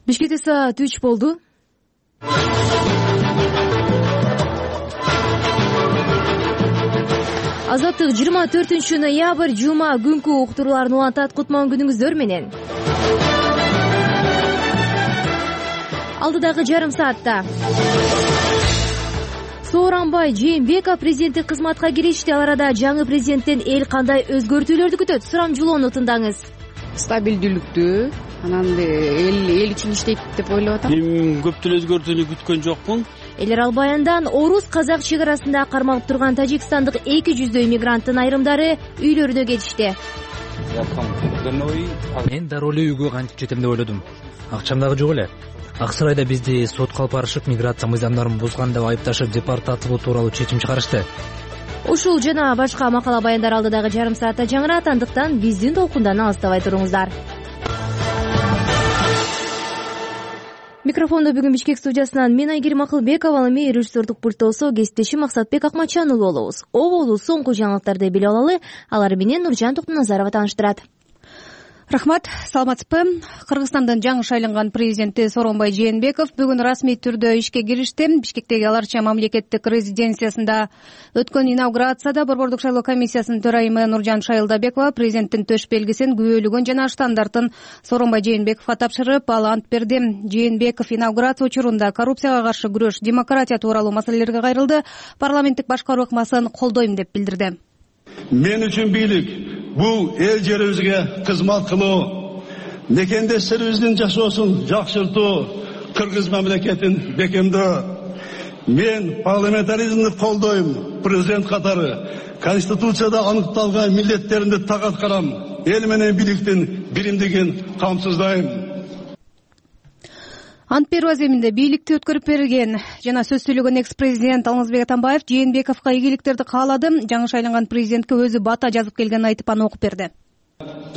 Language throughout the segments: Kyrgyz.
Бишкекте саат 3 болду. Азаттык 24 ноябрь жума күнкү уктурууларын улантат. Кутман күнүңүздөр менен. Алдыдагы жарым саатта Сооронбай Жээнбеков президенттик кызматка киришти. Ал арада жаңы президенттен эл кандай өзгөртүүлөрдү күтөт? Сурамжылоону тыңдаңыз. Стабилдүүлүктү, анан эл үчүн иштейт деп ойлоп атам. Мен көптөн өзгөртүүнү күткөн жокмун. Элер Албаяндан орус-казак чек арасында кармалып турган тажикстандык 200 мигранттын айрымдары үйлөрүнө кетишти. Мен дароо эле үйгө кантип жетем деп ойлодум. Акчам дагы жок эле. Аксырайда бизди сотко алып барышып, миграция мыйзамдарын бузган деп айыпташып, депортациялоо тууралуу чечим чыгарышты. Ушул жана башка макала баяндар алдыдагы жарым саатта жаңырат, андыктан биздин толкундан алыстабай туруңуздар. Микрофондо бүгүн Бишкек студиясынан мен Айгерим Акылбекова, ал эми режиссердук пультта болсо кесиптешим Максатбек Акмачан уулу болобуз. Оболу соңку жаңылыктарды билип алалы. Алар менен Нуржан Токтоназарова тааныштырат. Рахмат, саламатсызбы? Кыргызстандын жаңы шайланган президенти Сооронбай Жээнбеков бүгүн расмий түрдө ишке киришти. Бишкектеги Аларча мамлекеттик резиденциясында өткөн инаугурацияда Борбордук шайлоо комиссиясынын төрайымы Нуржан Шайылдабекова президенттин төш белгисин, күбөлүгүн жана штандартын Сооронбай Жээнбековго тапшырып, ал ант берди. Жээнбеков инаугурация учурунда коррупцияга каршы күрөш, демократия тууралуу маселелерге кайрылды. Парламенттик башкаруу ыкмасын колдойм деп билдирди. Мен үчүн бийлик бул эл жерибизге кызмат кылуу, мекендештерибиздин жашоосун жакшыртуу, кыргыз мамлекетин бекемдөө. Мен парламентаризмди колдойм. Президент катары Конституцияда аныкталган милдеттеримди так аткарам. Эл менен бийликтин биримдигин камсыздайм. Ант берүү аземинде бийликти өткөрүп берген жана сөз сүйлөгөн экс-президент Алмазбек Атамбаев Жээнбековго ийгиликтерди каалады. Жаңы шайланган президентке өзү бата жазып келгенин айтып, аны окуп берди.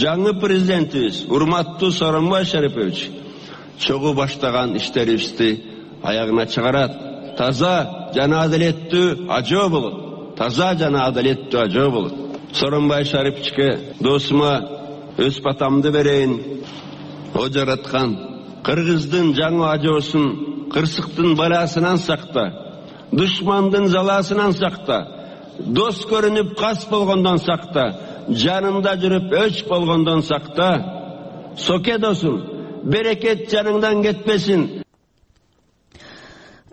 Жаңы президентибиз урматтуу Сооронбай Шарипович чогуу баштаган иштерибизди аягына чыгарат. Таза жана адалеттүү ажоо болот. Таза жана адалеттүү ажоо болот. Сооронбай Шариповичке досума өз батамды берейин. О жараткан Кыргыздын жаңы ажоосун кырсыктын баласынан сакта, душмандын заласынан сакта, дос көрүнүп кас болгондон сакта, жанында жүрүп өч болгондон сакта. Соке досум, берекет жаныңдан кетпесин.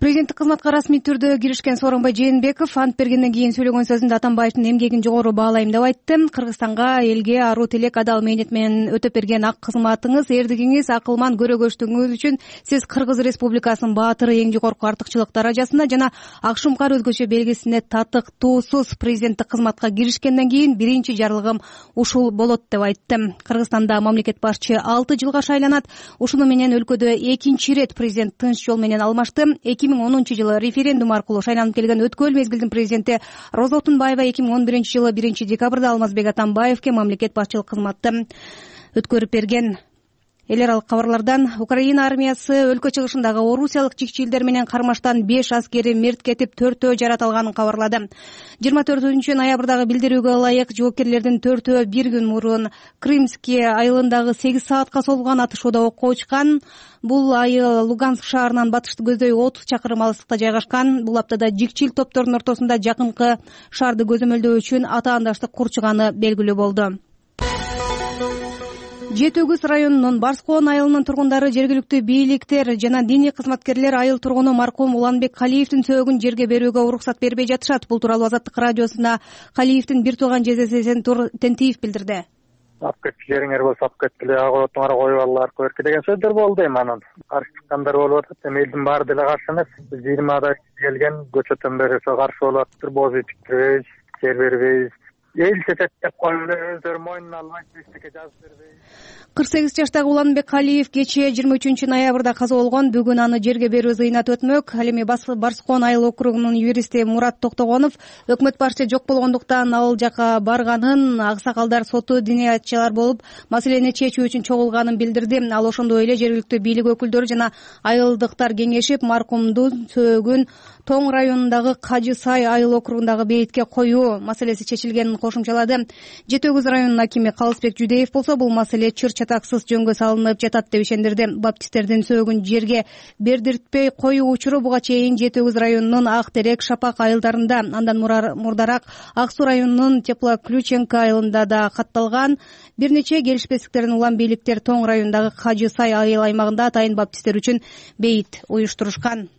Президенттик кызматка расмий түрдө киришкен Сооронбай Жээнбеков ант бергенден кийин сүйлөгөн сөзүндө Атамбаевдин эмгегин жогору баалайм деп айтты. Кыргызстанга, элге аруу тилек, адал мээнет менен өтөп берген ак кызматыңыз, эрдигиңиз, акылман көрөгөчтүгүңүз үчүн сиз Кыргыз Республикасынын баатыры, эң жогорку артыкчылык даражасына жана ак шумкар өзгөчө белгисине татыктуусуз. Президенттик кызматка киришкенден кийин биринчи жарлыгым ушул болот деп айтты. Кыргызстанда мамлекет башчы 6 жылга шайланат. Ушуну менен өлкөдө экинчи ирет президент тынч жол менен алмашты. 2010 жылы референдум аркылуу шайланып келген өткөл мезгилдин президенти Роза Отунбаева 2011 жылы 1 декабрда Алмазбек Атамбаевке мамлекет башчылык кызматты өткөрүп берген. Элер ал кабарлардан Украина армиясы өлкө чыгышындагы орусиялык чикчилдер менен кармаштан 5 аскери мерт кетип, 4-өө жаратылганын кабарлады. 24 ноябрдагы билдирүүгө ылайык жоопкерлердин 4-өө бир күн мурун Крымский айылындагы 8 саатка созулган атышууда окко учкан. Бул айыл Луганск шаарынан батышты көздөй 30 чакырым алыстыкта жайгашкан. Бул аптада жикчил топтордун ортосунда жакынкы шаарды көзөмөлдөө үчүн атаандаштык курчуганы белгилүү болду. Жети Өгүз районунун Барскоон айылынын тургундары, жергиликтүү бийликтер жана диний кызматкерлер айыл тургуну маркум Уланбек Калиевдин сөөгүн жерге берүүгө уруксат бербей жатышат. Бул тууралуу Азаттык радиосуна Калиевдин бир тууган жездеси Сентур Тентиев билдирди. Ап кеткилериңер болсо ап кеткиле, аготуңар коюп аллар көркү деген сөздөр болду. Эми анан каршы чыккандар болуп атат. Эми элдин баары деле каршы эмес. 20 келген көчөтөн бери ошо каршы болуп атыптыр. Боз үй тиктирбейбиз, жер бербейбиз. Эл сетет деп коюп эле өздөрү мойнуна албайт, эчтеке жазып бербейбиз. 48 жаштагы Уланбек Калиев кечээ 23 ноябрда каза болгон. Бүгүн аны жерге берүү зыйнат өтмөк. Ал эми Барскоон айыл округунун юристи Мурат Токтогонов өкмөт башчы жок болгондуктан ал жака барганын, аксакалдар соту диниятчылар болуп маселени чечүү үчүн чогулганын билдирди. Ал ошондой эле жергиликтүү бийлик өкүлдөрү жана айылдыктар кеңешип маркумдун сөөгүн Тоң районундагы Кажы Сай айыл округундагы бейитке коюу маселеси чечилгенин кошумчалады. Жети Өгүз районунун акими Калысбек Жудеев болсо бул маселе чыр чатаксыз жөнгө салынып жатат деп ишендирди. Баптисттердин сөөгүн жерге бердиртпей коюу учуру буга чейин Жети Өгүз районунун Ак Терек, Шапак айылдарында, андан мурдараак Ак Суу районунун Теплоключенко айылында да катталган. Бир нече келишпестиктерден улам бийликтер Тоң районундагы Кажы Сай айыл аймагында атайын баптисттер үчүн бейит уюштурушкан.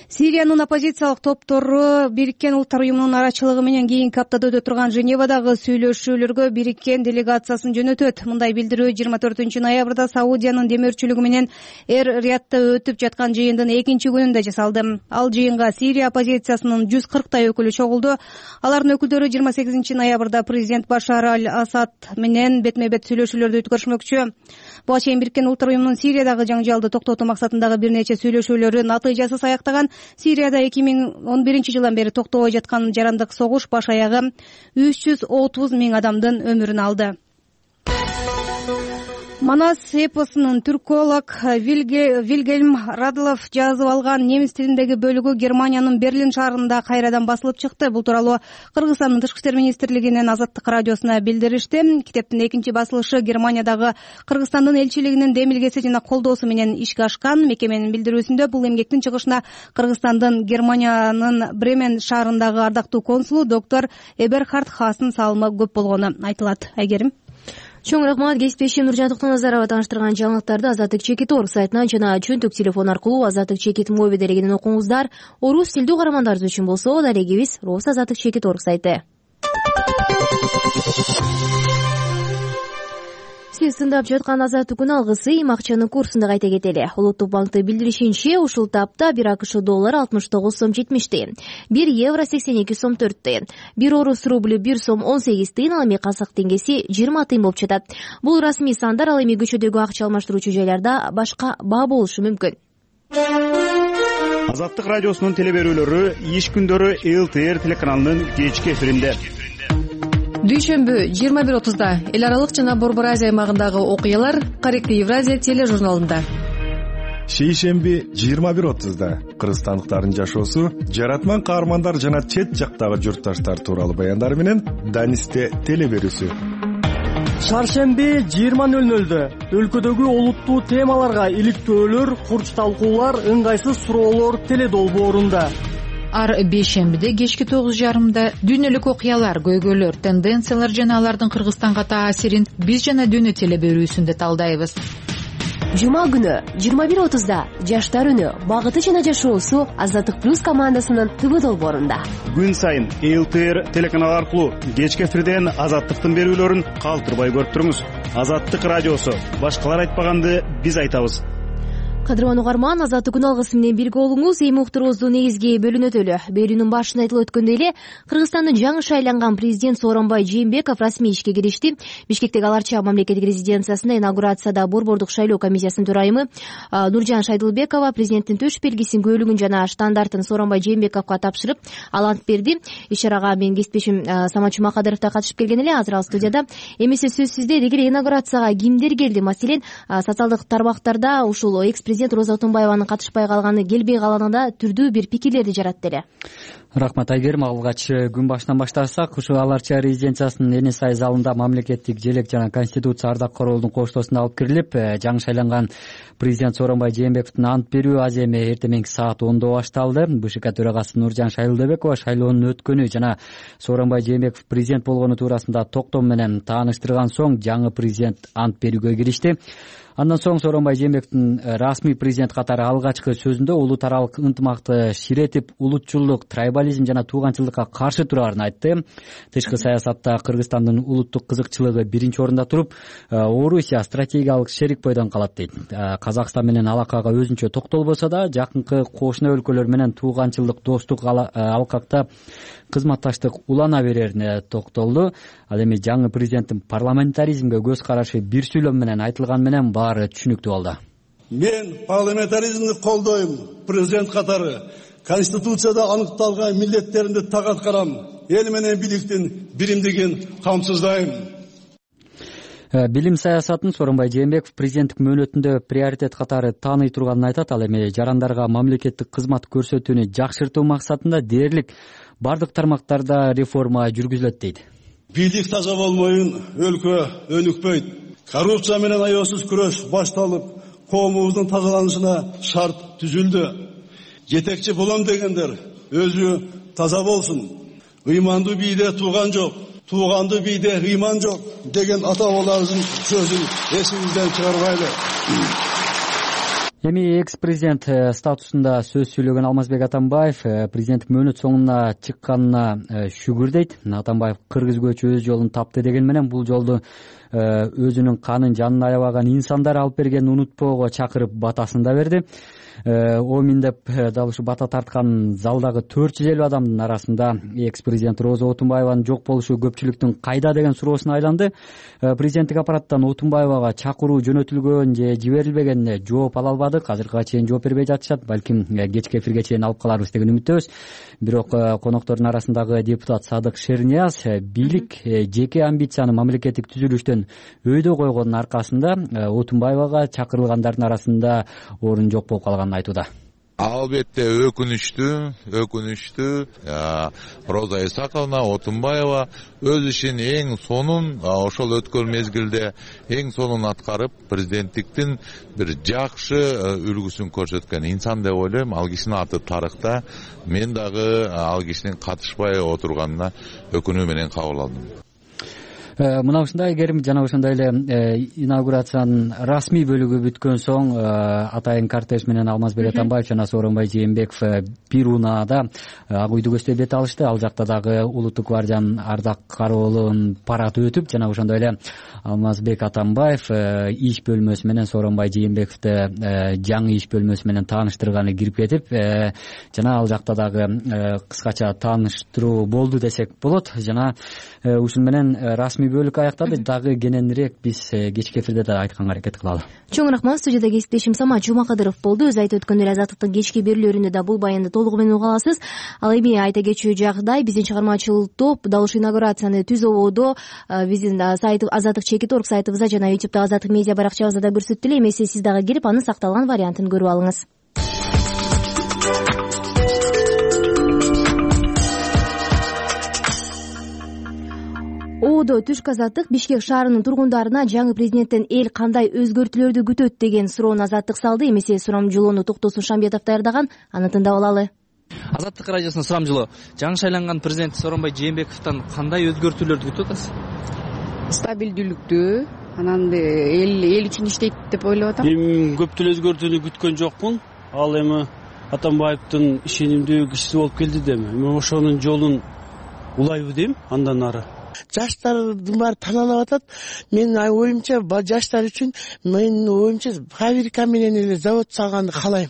Сириянын оппозициялык топтору Бириккен Улуттар уюмунун арачылыгы менен кийинки аптада өтө турган Женевадагы сүйлөшүүлөргө Бириккен делегациясын жөнөтөт. Мындай билдирүү 24 ноябрда Саудиянын демөөрчүлүгү менен Эр-Риядта өтүп жаткан жыйындын экинчи күнүндө жасалды. Ал жыйынга Сирия оппозициясынын 140 өкүлү чогулду. Алардын өкүлдөрү 28 ноябрда президент Башар аль-Асад менен бетме-бет сүйлөшүүлөрдү өткөрүшмөкчү. Буга чейин Бириккен Улуттар уюмунун Сириядагы жаңжалды токтотуу максатындагы бир нече сүйлөшүүлөрү натыйжасыз аяктаган. Сирияда 2011 жылдан бери токтобой жаткан жарандык согуш баш аягы 330 миң адамдын өмүрүн алды. Манас эпосунун түрколог Вильгельм Радлов жазып алган немис тилиндеги бөлүгү Германиянын Берлин шаарында кайрадан басылып чыкты. Бул тууралуу Кыргызстандын Тышкы иштер министрлигинин Азаттык радиосуна билдиришти. Китептин экинчи басылышы Германиядагы Кыргызстандын элчилигинин демилгеси жана колдоосу менен ишке ашкан. Мекеменин билдирүүсүндө бул эмгектин чыгышына Кыргызстандын Германиянын Бремен шаарындагы ардактуу консулу доктор Эберхард Хастын салымы көп болгону айтылат. Айгерим. Чоң рахмат. Кесиптешим Нуржан Токтоназарова тааныштырган жаңылыктарды Азаттык Чекит.org сайтынан жана чөнтөк телефон аркылуу Азаттык Чекит мобиль делегинен окуңуздар. Орус тилдүү каармандарыбыз үчүн болсо далегибиз Рус Азаттык Чекит.org сайты. Сиз тыңдап жаткан Азаттык күн алгысы эми акчанын курсунда кайта кетели. Улуттук банктын билдиришинче, ушул тапта 1 АКШ доллары 69 сом 70 тыйын, 1 евро 82 сом 4 тыйын, 1 орус рублю 1 сом 18 тыйын, ал эми казак теңгеси 20 тыйын болуп жатат. Бул расмий сандар, ал эми көчөдөгү акча алмаштыруучу жайларда башка баа болушу мүмкүн. Азаттык радиосунун телеберүүлөрү иш күндөрү ЛТР телеканалынын кечки эфиринде. Дүйшөмбү 21:30 эл аралык жана Борбор Азия аймагындагы окуялар Корректив Евразия тележурналында. Шейшемби 21:30 кыргызстандыктардын жашоосу, жаратман каармандар жана чет жактагы журтташтар тууралуу баяндар менен Данисте телеберүүсү. Шаршемби 20:00 өлкөдөгү олуттуу темаларга иликтөөлөр, курч талкуулар, ыңгайсыз суроолор теледолбоорунда. Ар бейшембиде кечки 9:30 дүйнөлүк окуялар, көйгөйлөр, тенденциялар жана алардын Кыргызстанга таасирин биз жана дүйнө телеберүүсүндө талдайбыз. Жума күнү 21:30 жаштар үнү, багыты жана жашоосу Азаттык плюс командасынын ТВ долбоорунда. Күн сайын ЛТР телеканалы аркылуу кечки эфирден Азаттыктын берүүлөрүн калтырбай көрүп туруңуз. Азаттык радиосу, башкалар айтпаганды биз айтабыз. Кадырман угарман, Азаттык күн алгысы менен бирге болуңуз. Эми уктуруубуздун негизги бөлүнөтөлү. Берүүнүн башында айтылып өткөндөй эле, Кыргызстандын жаңы шайланган президент Сооронбай Жээнбеков расмий ишке киришти. Бишкектеги Аларча мамлекеттик резиденциясында инаугурацияда Борбордук шайлоо комиссиясынын төрайымы Нуржан Шайдылбекова президенттин төш белгисин, көөлүгүн жана штандартын Сооронбай Жээнбековго тапшырып, ал ант берди. Иш-чарага менин кесиптешим Самат Жумакадыров да катышып келген эле. Азыр ал студияда. Эмесе сөзсүз деги эле инаугурацияга кимдер келди? Маселен, социалдык тармактарда ушул экс-президент Роза Отунбаеванын катышпай калганы, келбей калганы да түрдүү бир пикирлерди жаратты эле. Рахмат Айгерим. Алгач күн башынан баштасак, ушу Аларча резиденциясынын Эне сай залында мамлекеттик желек жана конституция ардаккорлордун коштоосуна алып кирилип, жаңы шайланган президент Сооронбай Жээнбековдун ант берүү аз эми эртең саат 10:00 башталды. БШК төрагасы Нуржан Шайлдыбекова шайлоонун өткөнү жана Сооронбай Жээнбеков президент болгону туурасында токтом менен тааныштырган соң жаңы президент ант берүүгө киришти. Андан соң Сооронбай Жээнбековдун расмий президент катары алгачкы сөзүндө улут аралык ынтымакты ширетип, улутчулдук, трайбализм жана тууганчылыкка каршы турарын айтты. Тышкы саясатта Кыргызстандын улуттук кызыкчылыгы биринчи орунда туруп, Орусия стратегиялык шерик бойдон калат дейт. Казакстан менен алакага өзүнчө токтолбосо да, жакынкы кошуна өлкөлөр менен тууганчылык, достук алкакта кызматташтык улана берерине токтолду. Ал эми жаңы президенттин парламентаризмге көз карашы бир сүйлөм менен айтылган менен баары түшүнүктүү болду. Мен парламентаризмди колдойм. Президент катары Конституцияда аныкталган милдеттеримди так аткарам. Эл менен бийликтин биримдигин камсыздайм. Билим саясатын Сооронбай Жээнбеков президенттик мөөнөтүндө приоритет катары тааный турганын айтат. Ал эми жарандарга мамлекеттик кызмат көрсөтүүнү жакшыртуу максатында дээрлик бардык тармактарда реформа жүргүзүлөт дейт. Бийлик таза болмойун өлкө өнүкпөйт. Коррупция менен аеосуз күрөш башталып, коомубуздун тазаланышына шарт түзүлдү. Жетекчи болом дегендер өзү таза болсун. Ыйманды бийде тууган жок, тууганды бийде ыйман жок деген ата бабаларыбыздын сөзүн эсибизден чыгарбайлы. Эми экс-президент статусунда сөз сүйлөгөн Алмазбек Атамбаев президенттик мөөнөт соңуна чыкканына шүгүрдейт. Атамбаев кыргыз көчү өз жолун тапты деген менен бул жолду өзүнүн канын жанын аябаган инсандар алып бергенин унутпоого чакырып батасын да берди. Омин деп дал ушу бата тарткан залдагы 450 адамдын арасында экс-президент Роза Отунбаеванын жок болушу көпчүлүктүн кайда деген суроосуна айланды. Президенттик аппараттан Отунбаевага чакыруу жөнөтүлгөн же жиберилбегенине жооп ала албадык. Азыркыга чейин жооп бербей жатышат. Балким кечки эфирге чейин алып каларбыз деген үмүттөбүз. Бирок коноктордун арасындагы депутат Садык Шернияз бийлик жеке амбицияны мамлекеттик түзүлүштөн өйдө койгондун аркасында Отунбаевага чакырылгандардын арасында орун жок болуп калганын айтууда. Албетте өкүнүчтүү Роза Исаковна Отунбаева өз ишин эң сонун ошол өткөн мезгилде эң сонун аткарып, президенттиктин бир жакшы үлгүсүн көрсөткөн инсан деп ойлойм. Ал кишинин аты тарыхта. Мен дагы ал кишинин катышпай отурганына өкүнүү менен кабыл алдым. Мына ушундай керим жана ошондой эле инаугурациянын расмий бөлүгү бүткөн соң атайын кортеж менен Алмазбек Атамбаев жана Сооронбай Жээнбеков бир унаада Ак үйдү көздөй бет алышты. Ал жакта дагы улуттук гвардиянын ардак кароолунун парады өтүп, жана ошондой эле Алмазбек Атамбаев иш бөлмөсү менен Сооронбай Жээнбековду жаңы иш бөлмөсү менен тааныштырганы кирип кетип, жана ал жакта дагы кыскача тааныштыруу болду десек болот. Жана ушун менен расмий бөлүк аяктады. Дагы кененирээк биз кечки эфирде да айтканга аракет кылалы. Чоң рахмат. Студияда кесиптешим Самат Жумакадыров болду. Өз айтып өткөндөр Азаттыктын кечки берүүлөрүндө да бул баянды толугу менен уга аласыз. Ал эми айта кетчү жагдай, биздин чыгармачыл топ дал ушул инаугурацияны түз ободо биздин сайт azattik.org сайтыбызда жана YouTube'да Азаттык медиа баракчабызда да көрсөттү эле. Эмесе сиз дагы кирип анын сакталган вариантын көрүп алыңыз. Оодо түшкү Азаттык Бишкек шаарынын тургундарына жаңы президенттен эл кандай өзгөртүүлөрдү күтөт деген суроону Азаттык салды. Эмесе сурамжылоону Токтосун Шамбетов даярдаган, аны тыңдап алалы. Азаттык радиосунун сурамжылоо. Жаңы шайланган президент Сооронбай Жээнбековдон кандай өзгөртүүлөрдү күтүп атасыз? Стабилдүүлүктү, анан эл үчүн иштейт деп ойлоп атам. Эми көптү өзгөртүүнү күткөн жокмун. Ал эми Атамбаевдин ишенимдүү кишиси болуп келди деми. Мен ошонун жолун улайбы дейм андан ары. Жаштардын баары таанылып атат. Менин оюмча жаштар үчүн, менин оюмча фабрика менен эле завод салганды каалайм.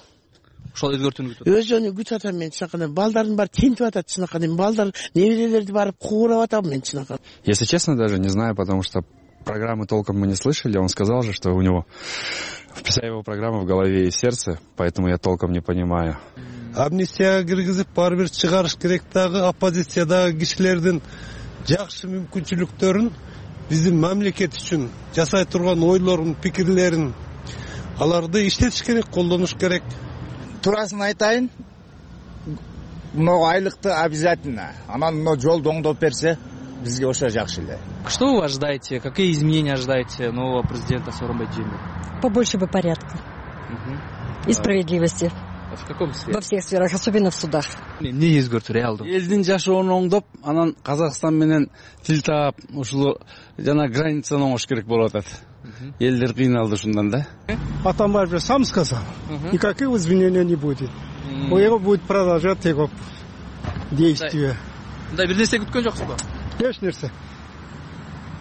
Ошол өзгөртүүнү күтөт. Өзүнү күтүп атам мен чынакы. Балдардын баары тентип атат чынакы. Балдар неберелерди барып куурап атам мен чынакы. Если честно, даже не знаю, потому что программы толком мы не слышали. Он сказал же, что у него вся его программа в голове и сердце, поэтому я толком не понимаю. Амнистияга киргизип баары бир чыгарыш керек дагы оппозициядагы кишилердин жакшы мүмкүнчүлүктөрүн, биздин мамлекет үчүн жасай турган ойлорун, пикирлерин аларды иштетиш керек, колдонуш керек. Турасын айтайын, мынау айлыкты обязательно. Анан мына жолду оңдоп берсе, бизге ошо жакшы эле. Что вы ожидаете? Какие изменения ожидаете нового президента Сооронбай Жээнбекова? Побольше бы порядка и справедливости. В каком сфере? Во всех сферах, особенно в судах. Эмне өзгөртүү реалдуу? Элдин жашоонун оңдоп, анан Казакстан менен тил таап, ушул жана границаны оңош керек болуп атат. Элдер кыйналды ушундан да. Атамбаев же сам сказал, никаких изменений не будет. У него будет продолжать его действия. Мындай бир нерсе күткөн жоксузбу? Эч нерсе.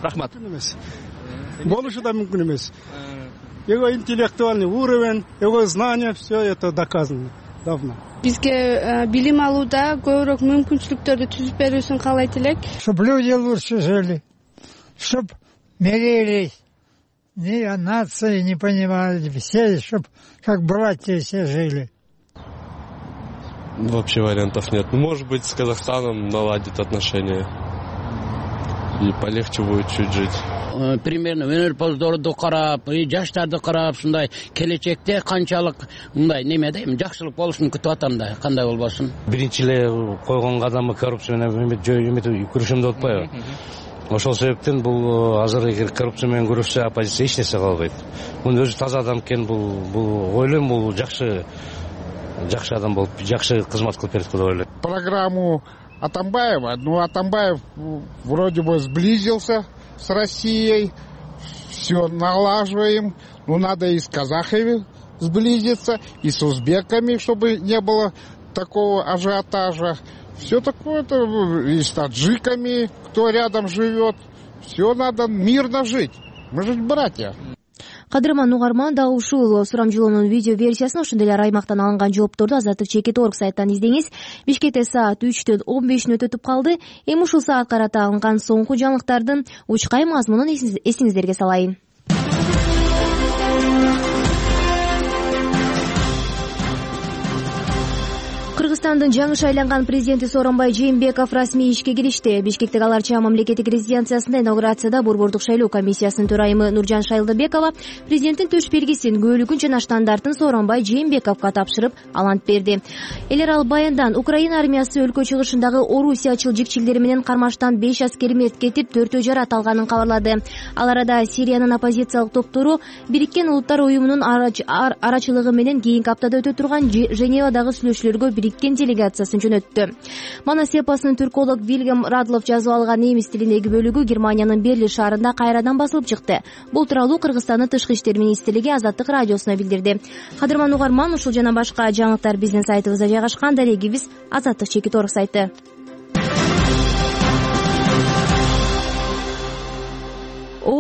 Рахмат. Болушу да мүмкүн эмес. Его интеллектуальный уровень, его знания, все это доказано давно. Бизге билим алууда көбүрөөк мүмкүнчүлүктөрдү түзүп берүүсүн каалайт элек. Чтоб люди лучше жили, чтоб мирились, ни о нации не понимали, все, чтоб как братья все жили. Вообще вариантов нет. Может быть, с Казахстаном наладит отношения и полегче будет чуть жить. Примерно өнөрпоздорду карап, жаштарды карап, ушундай келечекте канчалык мындай неме дейм, жакшылык болушун күтүп атам да, кандай болбосун. Биринчи эле койгон кадамы коррупция менен күрөшөм деп атпайбы? Ошол себептен бул азыр эгер коррупция менен күрөшсө оппозиция эч нерсе кыла албайт. Мунун өзү таза адам экен, бул ойлойм бул жакшы адам болуп, жакшы кызмат кылып берет деп ойлойм. Программу Атамбаева, Атамбаев вроде бы сблизился с Россией, все налаживаем, надо и с казахами сблизиться, и с узбеками, чтобы не было такого ажиотажа. Все такое, и с таджиками, кто рядом живет. Все надо мирно жить. Мы же братья. Кадырман угарман дагы ушул сурамжылоонун видео версиясын, ошондой эле аймактан алынган жоопторду Азаттык.org сайттан издеңиз. Бишкекте саат 3:15 өтүп калды. Эми ушул саат карата алынган соңку жаңылыктардын учкай мазмунун эсиңиздерге салайын. Кыргызстандын жаңы шайланган президенти Сооронбай Жээнбеков расмий ишке киришти. Бишкектеги Ала Арча мамлекеттик резиденциясында инаугурацияда Борбордук шайлоо комиссиясынын төрайымы Нуржан Шайлдыбекова президенттин төш белгисин, көөлүгүн жана штандартын Сооронбай Жээнбековго тапшырып алант берди. Эл аралык баяндан Украина армиясы өлкө чыгышындагы Орусиячыл жикчилдери менен кармаштан 5 аскери мерт кетип, 4 жарат алганын кабарлады. Ал арада Сириянын оппозициялык топтору Бириккен Улуттар уюмунун арачылыгы менен кийинки аптада өтө турган Женевадагы сүйлөшүүлөргө Бириккен делегациясын жөнөттү. Манас эпосунун түрколог Вильгам Радлов жазып алган немис тилиндеги бөлүгү Германиянын Берлин шаарында кайрадан басылып чыкты. Бул тууралуу Кыргызстандын Тышкы иштер министрлиги Азаттык радиосуна билдирди. Кадырман угарман, ушул жана башка жаңылыктар биздин сайтыбызда жайгашкан. Дарегибиз Азаттык.org сайты.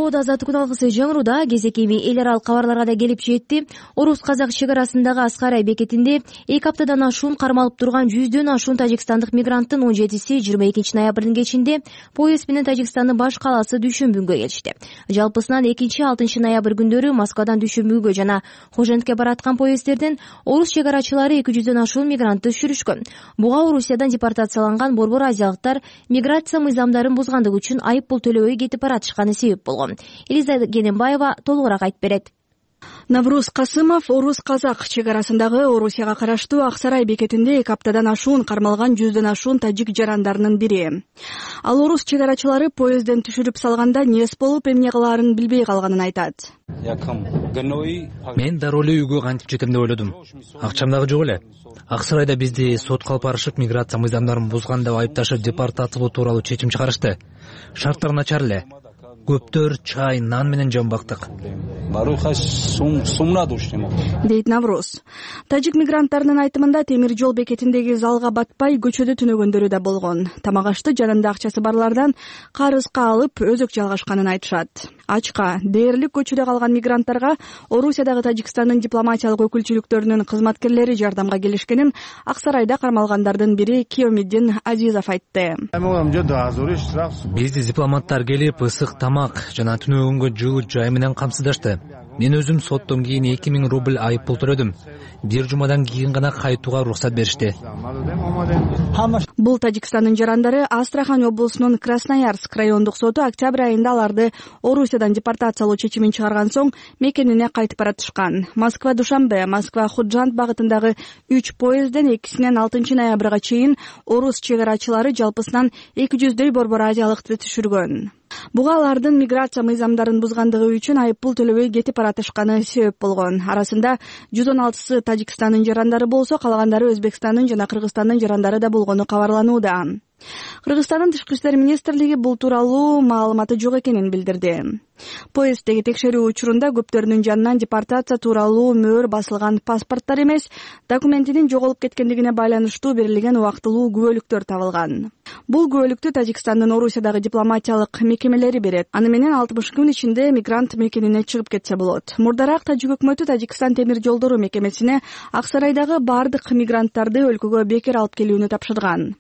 Азаттык күн алгысы жаңыруда кезекеби эл аралык кабарларга да келип жетти. Орус-казак чек арасындагы Аскарай бекетинде 2 аптадан ашуун кармалып турган 100дөн ашуун тажикстандык мигранттын 17си 22 ноябрдын кечинде поезд менен Тажикстандын баш калаасы Дүйшөмбүнгө келишти. Жалпысынан 2-6 ноябрь күндөрү Москвадан Дүйшөмбүнгө жана Хожентке бараткан поезддерден орус чек арачылары 200дөн ашуун мигрантты түшүрүшкөн. Буга Орусиядан депортацияланган борбор азиялыктар миграция мыйзамдарын бузгандыгы үчүн айып пул төлөбөй кетип баратышканы себеп болгон. Элиза Гененбаева толугураак айтып берет. Навруз Касымов Орус-казак чек арасындагы Орусияга караштуу Аксарай бекетинде 2 аптадан ашуун кармалган 100дөн ашуун тажик жарандарынын бири. Ал орус чек арачылары поездден түшүрүп салганда нес болуп, эмне кылаарын билбей калганын айтат. Мен дароо эле үйгө кантип жетем деп ойлодум. Акчам дагы жок эле. Аксарайда бизди сотко алып барышып, миграция мыйзамдарын бузган деп айыпташып, депортациялоо тууралуу чечим чыгарышты. Шарттар начар эле. Көптөр чай, нан менен жан бактык. Дейт Навруз. Тажик мигранттарынын айтымында темир жол бекетиндеги залга батпай көчөдө түнөгөндөрү да болгон. Тамак-ашты жанында акчасы барлардан карызга алып өзөк жалгашканын айтышат. Ачка, дээрлик көчөдө калган мигранттарга Орусиядагы Тажикстандын дипломатиялык өкүлчүлүктөрүнүн кызматкерлери жардамга келишкенин Аксарайда кармалгандардын бири Киомиддин Азизов айтты. Бизди дипломаттар келип, ысык тамак жана түнөгөнгө жылуу жай менен камсыздашты. Мен өзүм соттон кийин 2000 рубль айып пул төлөдүм. Бир жумадан кийин гана кайтууга уруксат беришти. Бул Тажикстандын жарандары Астрахань облусунун Красноярск райондук соту октябрь айында аларды Орусиядан депортациялоо чечимин чыгарган соң мекенине кайтып баратышкан. Москва-Душанбе, Москва-Худжант багытындагы 3 поездден 2-синен 6 ноябрга чейин орус чек арачылары жалпысынан 200дөй борбор азиялыкты түшүргөн. Буга алардын миграция мыйзамдарын бузгандыгы үчүн айып пул төлөбөй кетип баратышканы себеп болгон. Арасында 116 Тажикстандын жарандары болсо, калгандары Өзбекстандын жана Кыргызстандын жарандары да болгону кабарланууда. Кыргызстандын Тышкы иштер министрлиги бул тууралуу маалыматы жок экенин билдирди. Поезддеги текшерүү учурунда көптөрүнүн жанынан депортация тууралуу мөөр басылган паспорттор эмес, документинин жоголуп кеткендигине байланыштуу берилген убактылуу күбөлүктөр табылган. Бул күбөлүктү Тажикстандын Орусиядагы дипломатиялык мекемелери берет. Аны менен 60 күн ичинде мигрант мекенине чыгып кетсе болот. Мурдараак Тажик өкмөтү Тажикстан темир жолдору мекемесине Аксарайдагы бардык мигранттарды өлкөгө бекер алып келүүнү тапшырган.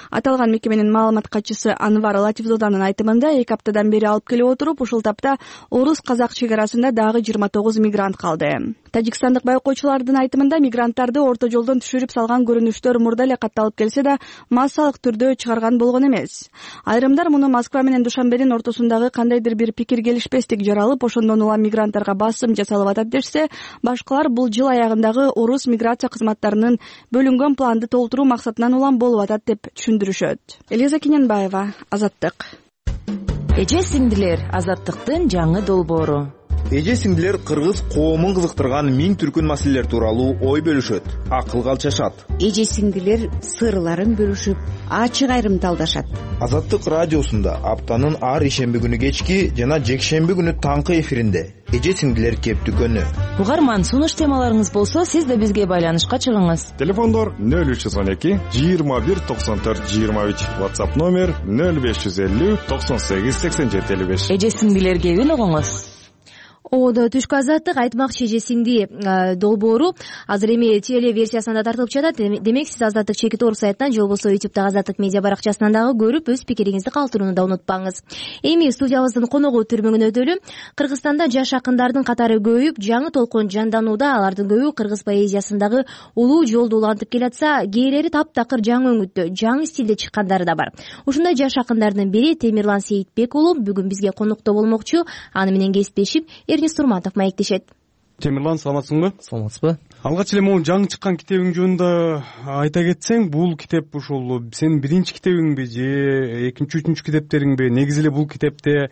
Аталган мекеменин маалымат катчысы Анвар Латифзоданын айтымында 2 аптадан бери алып келип отуруп, ушул тапта орус-казак чек арасында дагы 29 мигрант калды. Тажикстандык байкоочулардын айтымында мигранттарды орто жолдон түшүрүп салган көрүнүштөр мурда эле катталып келсе да, массалык түрдө чыгарган болгон эмес. Айрымдар муну Москва менен Душанбенин ортосундагы кандайдыр бир пикир келишпестик жаралып, ошондон улам мигранттарга басым жасалып атат дешсе, башкалар бул жыл аягындагы орус миграция кызматтарынын бөлүнгөн планды толтуруу максатынан улам болуп атат деп түшүндүрүшөт. Элиза Гененбаева, Азаттык. Эже сиңдилер, азаттыктын жаңы долбоору. Эже сиңдилер кыргыз коомун кызыктырган миң түркүн маселелер тууралуу ой бөлүшөт, акылга алчашат. Эже сиңдилер сырларын бөлүшүп, ачык айрым талдашат. Азаттык радиосунда аптанын ар ишемби күнү кечки жана жекшемби күнү таңкы эфиринде эже сиңдилер кептүкөнү. Угарман, сунуш темаларыңыз болсо, сиз да бизге байланышка чыгыңыз. Телефондор 0312 21 94 23, WhatsApp номер 0550 98 87 55. Эже сиңдилер кебин угуңуз. Оодо түшкү азаттык айтмакчы эже сиңди долбоору азыр эми теле версиясында тартылып жатат. Демек сиз Азаттык чекит орг сайтынан же болбосо YouTube'дагы Азаттык медиа баракчасынан дагы көрүп өз пикириңизди калтырууну да унутпаңыз. Эми студиябыздын коногу түрмөгүн өтөлү. Кыргызстанда жаш акындардын катары көбөйүп, жаңы толкун жанданууда. Алардын көбү кыргыз поэзиясындагы улуу жолду улантып келатса, кээрлери таптакыр жаңы өңүттө, жаңы стилде чыккандары да бар. Ушундай жаш акындардын бири Темирлан Сейитбек уулу бүгүн бизге конокто болмокчу. Аны менен кесиптешип Эрнис Турматов маектешет. Темирлан, саламатсыңбы? Саламатсызбы? Алгач эле могу жаңы чыккан китебиң жөнүндө айта кетсең, бул китеп ушул сенин биринчи китебиңби же экинчи, үчүнчү китептериңби? Негизи эле бул китепте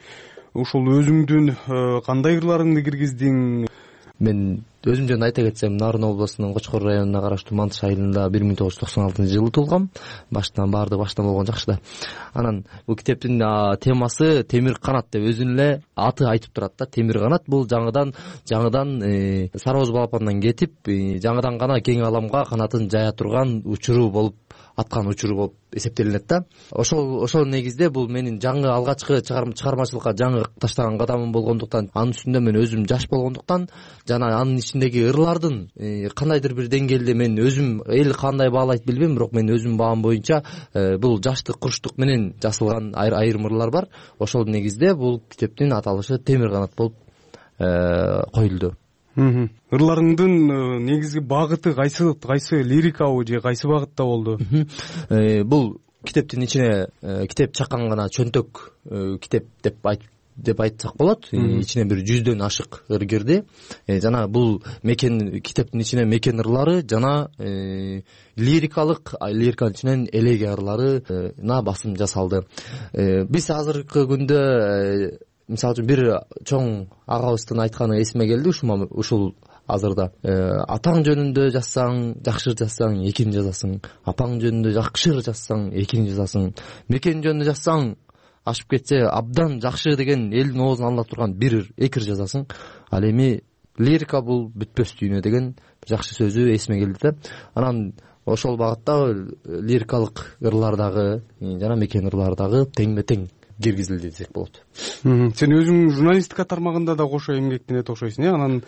ушул өзүңдүн кандай ырларыңды киргиздиң? Мен өзүм жөнүндө айта кетсем, Нарын облусунун Кочкор районуна караштуу Мантыш айылында 1996 туулгам. Баштан баардыгы баштан болгон жакшы да. Анан бул китептин темасы Темир канат деп өзүнүн эле аты айтып турат да. Темир канат бул жаңыдан Сарооз балапандан кетип, жаңыдан гана кең аламга канатын жая турган учуру болуп, аткан учуру болуп эсептелинет да. Ошол негизде бул менин жаңы алгачкы чыгармачылыкка жаңы таштаган кадамым болгондуктан, анын үстүндө мен өзүм жаш болгондуктан жана анын ичиндеги ырлардын кандайдыр бир деңгээлде мен өзүм эл кандай баалайт билбейм, бирок мен өзүм баам боюнча бул жаштык, курчтук менен жазылган айрым ырлар бар. Ошол негизде бул китептин аталышы Темир канат болуп коюлду. Ырларыңдын негизги багыты кайсы лирикабы же кайсы багытта болду? Бул китептин ичине китеп чакан гана чөнтөк китеп деп айтсак болот. Ичине бир 100дөн ашык ыр кирди. Жана бул китептин ичине мекен ырлары жана лириканын ичинен элеге ырларына басым жасалды. Биз азыркы күндө мисалы үчүн бир чоң агабыздын айтканы эсиме келди ушул азырда. Атаң жөнүндө жазсаң, жакшы жазсаң, экини жазасың. Апаң жөнүндө жакшы жазсаң, экини жазасың. Мекен жөнүндө жазсаң, ашып кетсе абдан жакшы деген элдин оозун ала турган бир экир жазасың. Ал эми лирика бул бүтпөс дүйнө деген жакшы сөзү эсиме келди да. Анан ошол багытта лирикалык ырлардагы жана мекен ырлардагы теңме-тең киргизилди десек болот. Сен өзүң журналистика тармагында да кошо эмгектенет окшойсуң, Анан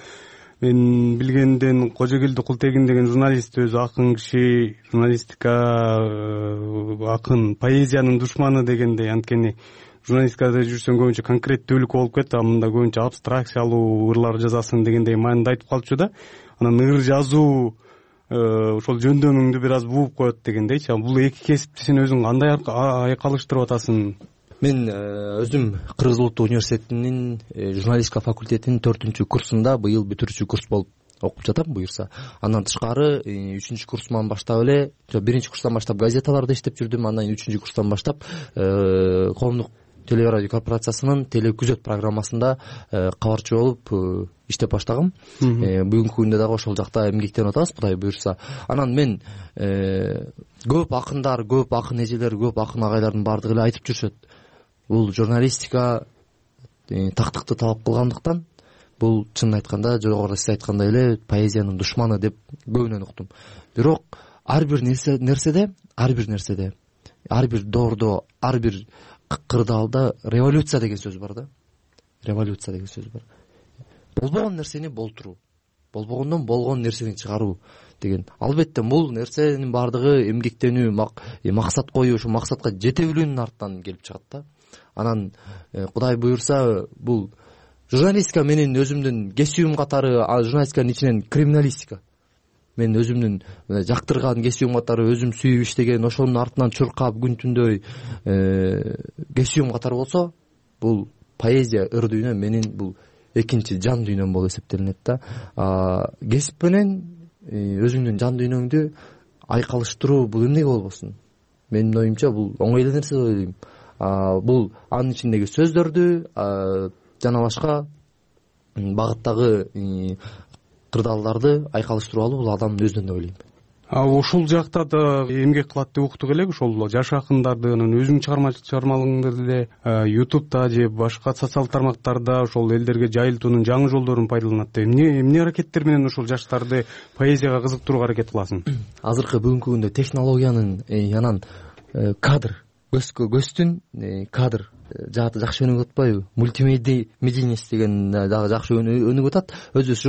мен билгенден Кожогелди Култегин деген журналист өзү акын киши, журналистика акын, поэзиянын душманы дегендей. Анткени журналистикада жүрсөң көбүнчө конкреттүүлүк болуп кетти, мында көбүнчө абстракциялуу ырлар жазасың дегендей маанында айтып калчу да. Анан ыр жазуу ошол жөндөмүңдү бир аз бууп коет дегендейчи. Бул эки кесипти сен өзүң кандай айкалыштырып атасың? Мен өзүм Кыргыз Улуттук университетинин журналистика факультетинин 4-курсунда быйыл бүтүрүүчү курс болуп окуп жатам буюрса. Андан тышкары 3-курсуман баштап эле, 1-курстан баштап газеталарда иштеп жүрдүм. Андан 3-курстан баштап коомдук телерадио корпорациясынын телекүзөт программасында кабарчы болуп иштеп баштагам. Бүгүнкү күндө дагы ошол жакта эмгектенип атабыз, Кудай буюрса. Анан мен көп акындар, көп акын эжелер, көп акын агайлардын баардыгы эле айтып жүрүшөт. Бул журналистика тактыкты талап кылгандыктан, бул чынын айтканда жогоруда сиз айткандай эле поэзиянын душманы деп көбүнөн уктум. Бирок ар бир нерседе, ар бир доордо, ар бир кырдаалда революция деген сөз бар да. Революция деген сөз бар. Болбогон нерсени болтуруу, болбогондон болгон нерсени чыгаруу деген. Албетте бул нерсенин баардыгы эмгектенүү, максат коюу, ошо максатка жете билүүнүн артынан келип чыгат да. Анан Кудай буюрса, бул журналистика менин өзүмдүн кесибим катары, журналистиканын ичинен криминалистика. Мен өзүмдүн жактырган кесибим катары, өзүм сүйүп иштеген, ошонун артынан чуркап күн түндөй кесибим катары болсо, бул поэзия, ыр дүйнө менин бул экинчи жан дүйнөм болуп эсептелинет да. Кесип менен өзүңдүн жан дүйнөңдү айкалыштыруу бул эмнеге болбосун? Менин оюмча бул оңой эле нерсе деп ойлойм. бул анын ичиндеги сөздөрдү жана башка багыттагы кырдаалдарды айкалыштыруу бул адамдын өзүнөн деп ойлойм. Ушул жакта да эмгек кылат деп уктук элек, ошол жаш акындарды анан өзүңүн чыгармалыгыңдарды эле YouTube'да же башка социалдык тармактарда ошол элдерге жайылтуунун жаңы жолдорун пайдаланат деп эмне аракеттер менен ушул жаштарды поэзияга кызыктырууга аракет кыласың? Азыркы бүгүнкү күндө технологиянын анан кадр көздүн кадр жааты жакшы өнүгүп атпайбы? Мультимедийность деген дагы жакшы өнүгүп атат. Өзүбүз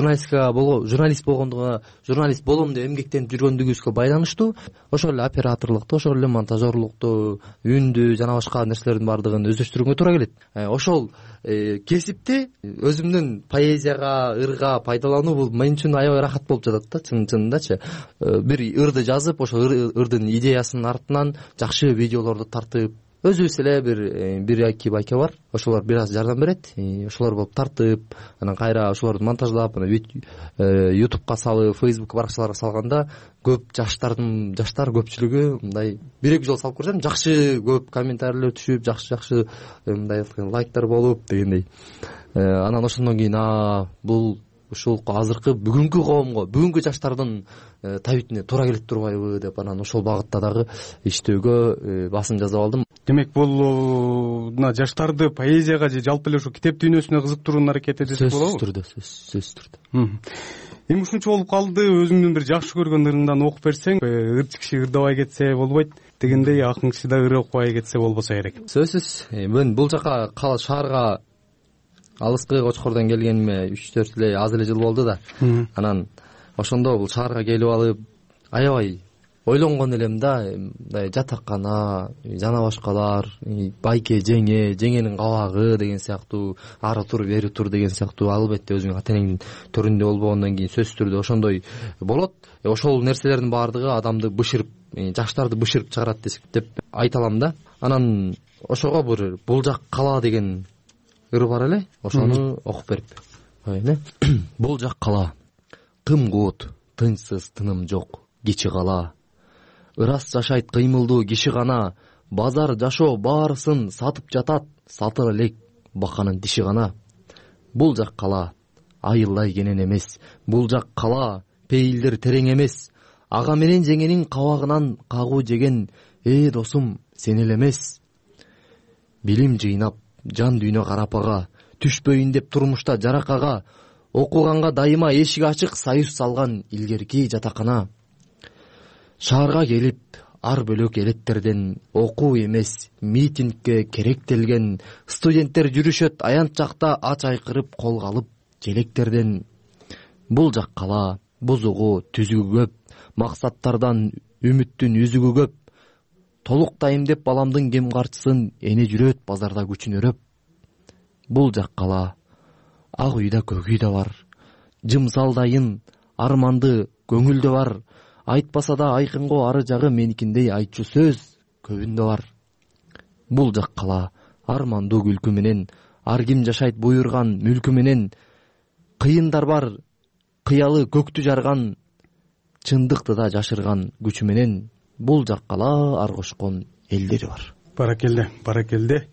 журналист болом деп эмгектенип жүргөндүгүбүзгө байланыштуу ошол эле операторлукту, ошол эле монтажерлукту, үндү жана башка нерселердин баардыгын өздөштүрүүгө туура келет. Ошол кесипти өзүмдүн поэзияга, ырга пайдалануу бул мен үчүн аябай рахат болуп жатат да, чынындачы. Бир ырды жазып, ошол ырдын идеясынын артынан жакшы видеолорду тартып, өзүбүз эле бир-эки байке бар, ошолор бир аз жардам берет, ошолор болуп тартып, анан кайра ошолорду монтаждап, YouTube'га салып, Facebook баракчаларга салганда көп жаштар көпчүлүгү мындай бир-эки жолу салып көрсөм, жакшы көп комментарийлер түшүп, жакшы мындай лайктар болуп дегендей. Анан ошондон кийин бул ушул азыркы бүгүнкү коомго, бүгүнкү жаштардын табитине туура келип турбайбы деп анан ошол багытта дагы иштөөгө басым жасап алдым. Демек бул жаштарды поэзияга же жалпы эле ушу китеп дүйнөсүнө кызыктыруунун аракети десек болобу? Сөзсүз түрдө. Эми ушунча болуп калды, өзүңдүн бир жакшы көргөн ырыңдан окуп берсең, ырчы киши ырдабай кетсе болбойт дегендей, акын киши да ыры окубай кетсе болбосо керек. Сөзсүз. Мен бул жака шаарга алыскы Кочкордон келгениме 3-4 эле аз эле жыл болду да. Анан ошондо бул шаарга келип алып аябай ойлонгон элем да, мындай жатаккана жана башкалар, байке жеңенин кабагы деген сыяктуу, ары тур бери тур деген сыяктуу, албетте өзүңүн ата энеңдин төрүндө болбогондон кийин сөзсүз түрдө ошондой болот. Ошол нерселердин баардыгы адамды бышырып, жаштарды бышырып чыгарат деп айта алам да. Анан ошого бир бул жак кала деген ыр бар эле, ошону окуп берип. Бул жак кала, кым-куут, тынчсыз тыным жок, кичи кала. Ырас жашайт кыймылдуу киши гана, базар жашоо баарысын сатып жатат, сатыр элек баканын тиши гана. Бул жак кала, айылдай кенен эмес, бул жак кала, пейилдер терең эмес. Ага менен жеңенин кабагынан кагуу жеген, досум сен эле эмес. Билим жыйнап, жан дүйнө карапага, түшпөйүн деп турмушта жаракага, окуганга дайыма эшик ачык, союз салган илгерки жатакана. Шаарга келип, ар бөлөк элеттерден окуу эмес, митингге керектелген, студенттер жүрүшөт аянт жакта ач айкырып колго алып желектерден. Бул жак кала, бузугу, түзүгү көп, максаттардан үмүттүн үзүгү көп. Толуктайм деп баламдын кем карчысын эне жүрөт базарда күчүн өрөп. Бул жак кала, ак үйдө көк үйдө бар, жымсалдайын арманды көңүлдө бар. Айтпаса да айкынго ары жагы меникиндей айтчу сөз көбүндө бар. Бул жак кала, армандуу күлкү менен, ар ким жашайт буйрган мүлкү менен. Кыйындар бар, кыялы көктү жарган, чындыкты да жашырган күчү менен. Бул жак кала, ар кошкон элдери бар. Баракелде.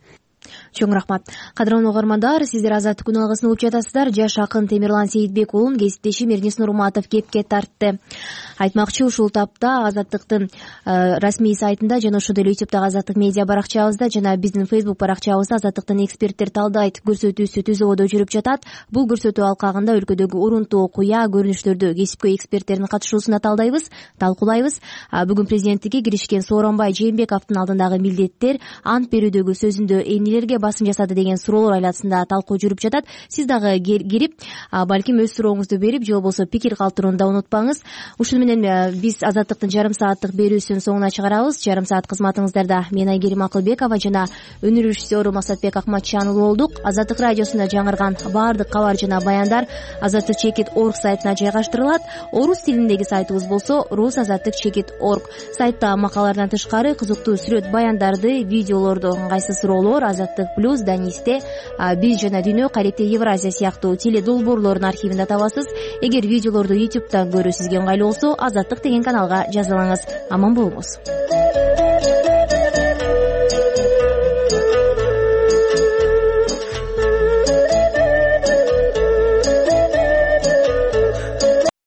Чоң рахмат. Кадырлуу угармандар, сиздер Азаттык күн алгысын угуп жатасыздар. Жаш акын Темирлан Сейитбек уулун кесиптешим Эрнис Нурматов кепке тартты. Айтмакчы, ушул тапта Азаттыктын расмий сайтында жана ошондой эле YouTube'дагы Азаттык медиа баракчабызда жана биздин Facebook баракчабызда Азаттыктын эксперттер талдайт көрсөтүүсү түзүүгө жүрүп жатат. Бул көрсөтүү алкагында өлкөдөгү урунтуу куя көрүнүштөрдү кесипкөй эксперттердин катышуусунда талдайбыз, талкуулайбыз. Бүгүн президенттикке киришкен Сооронбай Жээнбековдун алдындагы милдеттер, ант берүүдөгү сөзүндө эмнелерге басым жасады деген суроолор айласында талкуу жүрүп жатат. Сиз дагы кирип, балким өз сурооңузду берип, же болбосо пикир калтырууну да унутпаңыз. Ушуну менен биз Азаттыктын жарым сааттык берүүсүнүн соңуна чыгарабыз. Жарым саат кызматыңыздарда мен Айгерим Акылбекова жана өнөр режиссеру Максатбек Акматчан болдук. Азаттык радиосунда жаңырган баардык кабар жана баяндар azattik.org сайтына жайгаштырылат. Орус тилиндеги сайтыбыз болсо rusazattik.org. Сайтта макалалардан тышкары кызыктуу сүрөт баяндарды, видеолорду, ыңгайсыз суроолор, Азаттык плюс, Данисте, биз жана дүйнө, Карете, Евразия сыяктуу теле долбоорлордун архивинде табасыз. Эгер видеолорду YouTube'дан көрүү сизге ыңгайлуу болсо, Азаттык деген каналга жазылыңыз. Аман болуңуз.